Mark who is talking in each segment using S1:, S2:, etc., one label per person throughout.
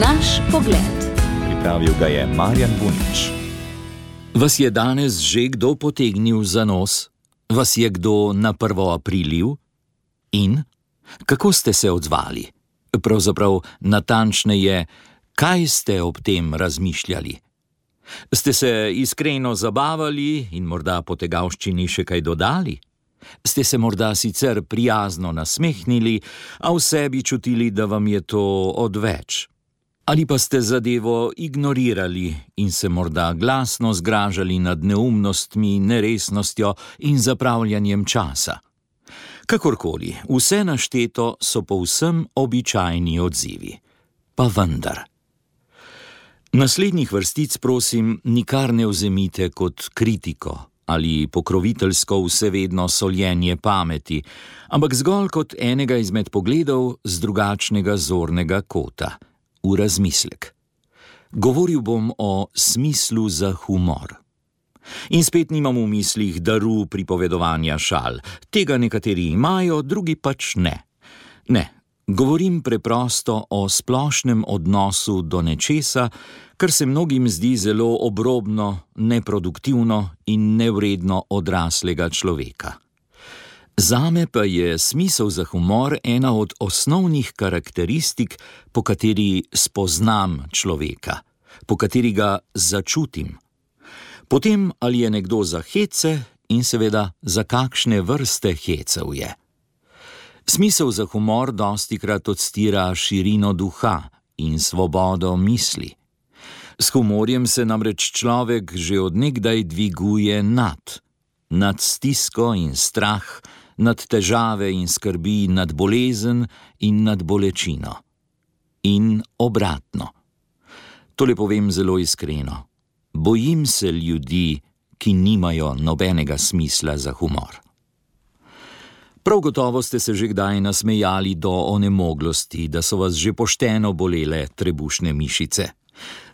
S1: Naš pogled.
S2: Pripravil ga je Marjan Bunič.
S3: Vas je danes že kdo potegnil za nos? Vas je kdo na 1. aprilil? In? Kako ste se odzvali? Pravzaprav natančneje, kaj ste ob tem razmišljali? Ste se iskreno zabavali in morda po tegavščini še kaj dodali? Ste se morda sicer prijazno nasmehnili, a v sebi čutili, da vam je to odveč? Ali pa ste zadevo ignorirali in se morda glasno zgražali nad neumnostmi, neresnostjo in zapravljanjem časa? Kakorkoli, vse našteto so povsem običajni odzivi. Pa vendar. Naslednjih vrstic, prosim, nikar ne vzemite kot kritiko ali pokroviteljsko vsevedno soljenje pameti, ampak zgolj kot enega izmed pogledov z drugačnega zornega kota, v razmislek. Govoril bom o smislu za humor. In spet nimam v mislih daru pripovedovanja šal. Tega nekateri imajo, drugi pač ne. Ne, govorim preprosto o splošnem odnosu do nečesa, kar se mnogim zdi zelo obrobno, neproduktivno in nevredno odraslega človeka. Zame pa je smisel za humor ena od osnovnih karakteristik, po kateri spoznam človeka, po kateri ga začutim. Potem, ali je nekdo za hece in seveda za kakšne vrste hecev je. Smisel za humor dostikrat odstira širino duha in svobodo misli. S humorjem se namreč človek že od nekdaj dviguje nad stisko in strah, nad težave in skrbi, nad bolezen in nad bolečino. In obratno. Tole povem zelo iskreno. Bojim se ljudi, ki nimajo nobenega smisla za humor. Prav gotovo ste se že kdaj nasmejali do onemoglosti, da so vas že pošteno bolele trebušne mišice.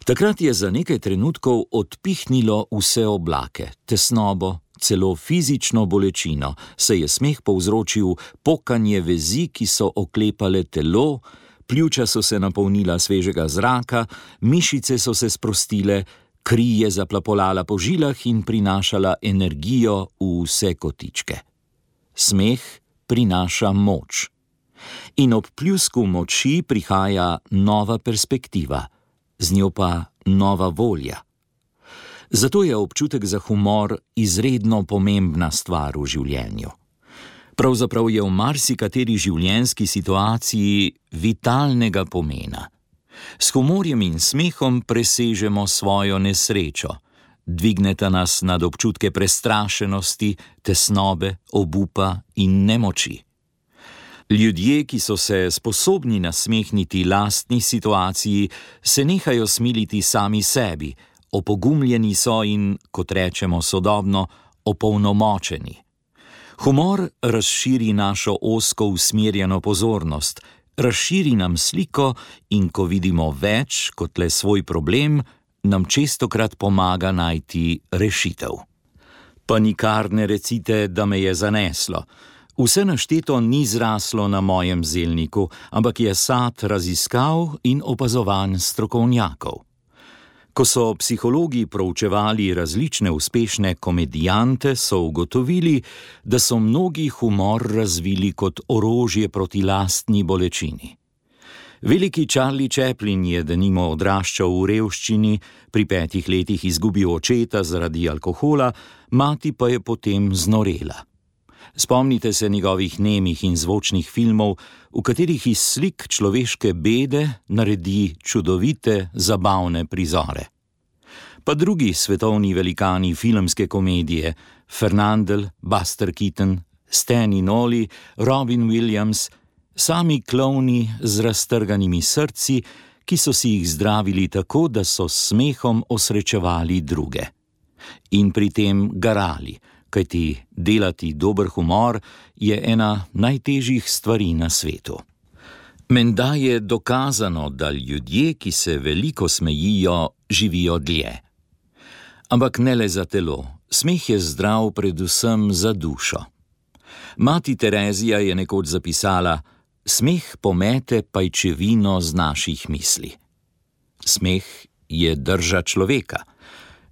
S3: Takrat je za nekaj trenutkov odpihnilo vse oblake, tesnobo, celo fizično bolečino, saj je smeh povzročil pokanje vezi, ki so oklepale telo, pljuča so se napolnila svežega zraka, mišice so se sprostile, kri je zaplapolala po žilah in prinašala energijo v vse kotičke. Smeh prinaša moč. In ob pljusku moči prihaja nova perspektiva, z njo pa nova volja. Zato je občutek za humor izredno pomembna stvar v življenju. Pravzaprav je v marsikateri življenjski situaciji vitalnega pomena. S humorjem in smehom presežemo svojo nesrečo, dvigneta nas nad občutke prestrašenosti, tesnobe, obupa in nemoči. Ljudje, ki so se sposobni nasmehniti lastni situaciji, se nehajo smiliti sami sebi, opogumljeni so in, kot rečemo sodobno, opolnomočeni. Humor razširi našo ozko usmerjeno pozornost, razširi nam sliko in ko vidimo več kot le svoj problem, nam čestokrat pomaga najti rešitev. Pa nikar ne recite, da me je zaneslo. Vse našteto ni zraslo na mojem zelniku, ampak je sad raziskav in opazovanj strokovnjakov. Ko so psihologi proučevali različne uspešne komedijante, so ugotovili, da so mnogi humor razvili kot orožje proti lastni bolečini. Veliki Charlie Chaplin je denimo odraščal v revščini, pri 5 letih izgubil očeta zaradi alkohola, mati pa je potem znorela. Spomnite se njegovih nemih in zvočnih filmov, v katerih iz slik človeške bede naredi čudovite, zabavne prizore. Pa drugi svetovni velikani filmske komedije, Fernandel, Buster Keaton, Stan in Ollie, Robin Williams, sami klovni z raztrganimi srci, ki so si jih zdravili tako, da so s smehom osrečevali druge. In pri tem garali, kajti delati dober humor je ena najtežjih stvari na svetu. Menda je dokazano, da ljudje, ki se veliko smejijo, živijo dlje. Ampak ne le za telo, smeh je zdrav predvsem za dušo. Mati Terezija je nekoč zapisala: smeh pomete pajčevino z naših misli. Smeh je drža človeka.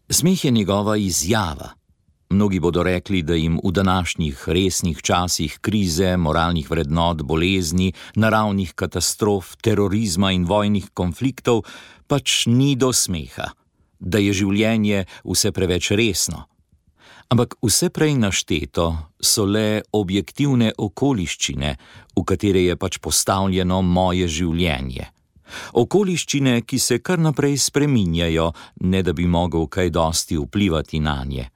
S3: Smeh je njegova izjava. Mnogi bodo rekli, da jim v današnjih resnih časih krize, moralnih vrednot, bolezni, naravnih katastrof, terorizma in vojnih konfliktov pač ni do smeha, da je življenje vse preveč resno. Ampak vse prej našteto so le objektivne okoliščine, v katere je pač postavljeno moje življenje. Okoliščine, ki se kar naprej spreminjajo, ne da bi mogel kaj dosti vplivati nanje.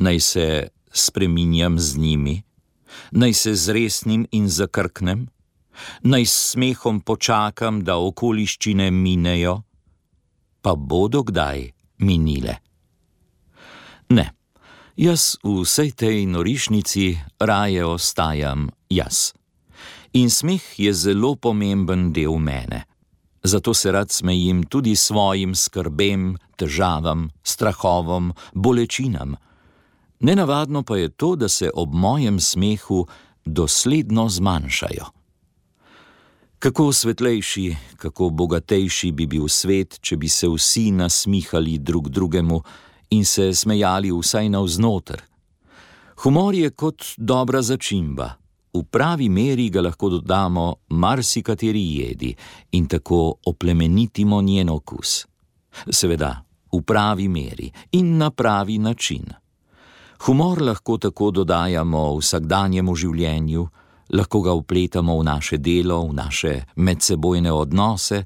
S3: Naj se spreminjam z njimi, naj se zresnim in zakrknem, naj s smehom počakam, da okoliščine minejo, pa bodo kdaj minile. Ne, jaz v vsej tej norišnici raje ostajam jaz. In smeh je zelo pomemben del mene. Zato se rad smejim tudi svojim skrbem, težavam, strahovom, bolečinam. Nenavadno pa je to, da se ob mojem smehu dosledno zmanjšajo. Kako svetlejši, kako bogatejši bi bil svet, če bi se vsi nasmihali drug drugemu in se smejali vsaj navznoter. Humor je kot dobra začimba. V pravi meri ga lahko dodamo marsikateri jedi in tako oplemenitimo njen okus. Seveda, v pravi meri in na pravi način. Humor lahko tako dodajamo vsakdanjemu življenju, lahko ga vpletamo v naše delo, v naše medsebojne odnose,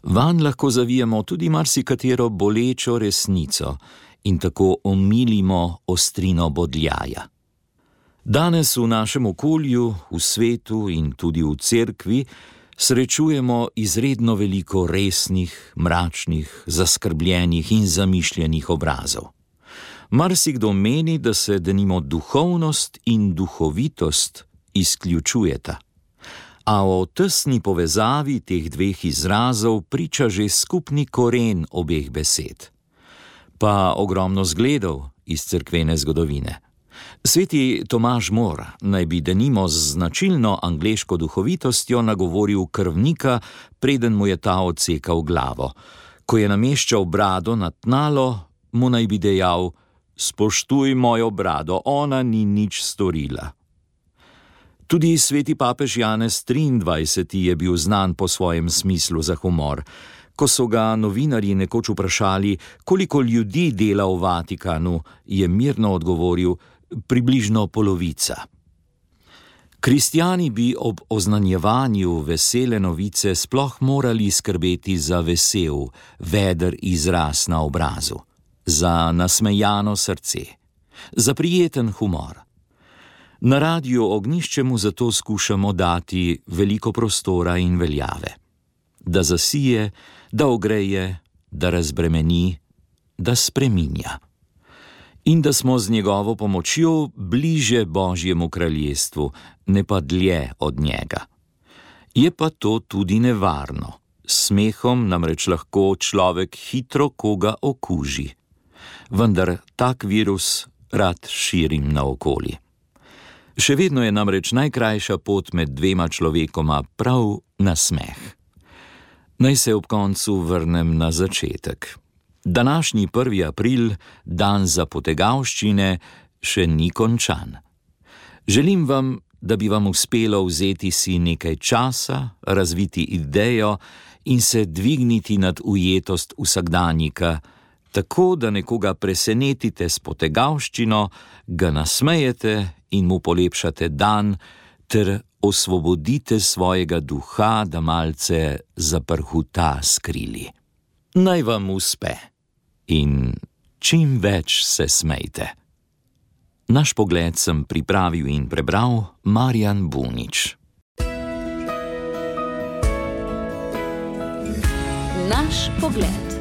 S3: vanj lahko zavijemo tudi marsikatero bolečo resnico in tako omilimo ostrino bodljaja. Danes v našem okolju, v svetu in tudi v cerkvi srečujemo izredno veliko resnih, mračnih, zaskrbljenih in zamišljenih obrazov. Marsikdo meni, da se denimo duhovnost in duhovitost izključujeta. A o tesni povezavi teh dveh izrazov priča že skupni koren obeh besed. Pa ogromno zgledov iz cerkvene zgodovine. Sveti Tomaž More naj bi denimo z značilno angleško duhovitostjo nagovoril krvnika, preden mu je ta odsekal glavo. Ko je nameščal brado na tnalo, mu naj bi dejal: "Spoštuj mojo brado, ona ni nič storila." Tudi sveti papež Janez 23. je bil znan po svojem smislu za humor. Ko so ga novinarji nekoč vprašali, koliko ljudi dela v Vatikanu, je mirno odgovoril: "Približno polovica." Kristjani bi ob oznanjevanju vesele novice sploh morali skrbeti za vesel, veder izraz na obrazu, za nasmejano srce, za prijeten humor. Na Radiu Ognjišče mu zato skušamo dati veliko prostora in veljave. Da zasije, da ogreje, da razbremeni, da spreminja. In da smo z njegovo pomočjo bliže Božjemu kraljestvu, ne pa dlje od njega. Je pa to tudi nevarno. S smehom namreč lahko človek hitro koga okuži. Vendar tak virus rad širim naokoli. Še vedno je namreč najkrajša pot med dvema človekoma prav nasmeh. Naj se ob koncu vrnem na začetek. Današnji 1. april, dan za potegavščine, še ni končan. Želim vam, da bi vam uspelo vzeti si nekaj časa, razviti idejo in se dvigniti nad ujetost vsakdanjika, tako da nekoga presenetite s potegavščino, ga nasmejete in mu polepšate dan, ter osvobodite svojega duha, da malce zaprhuta s krili. Naj vam uspe in čim več se smejte. Naš pogled sem pripravil in prebral Marjan Bunič.
S1: Naš pogled.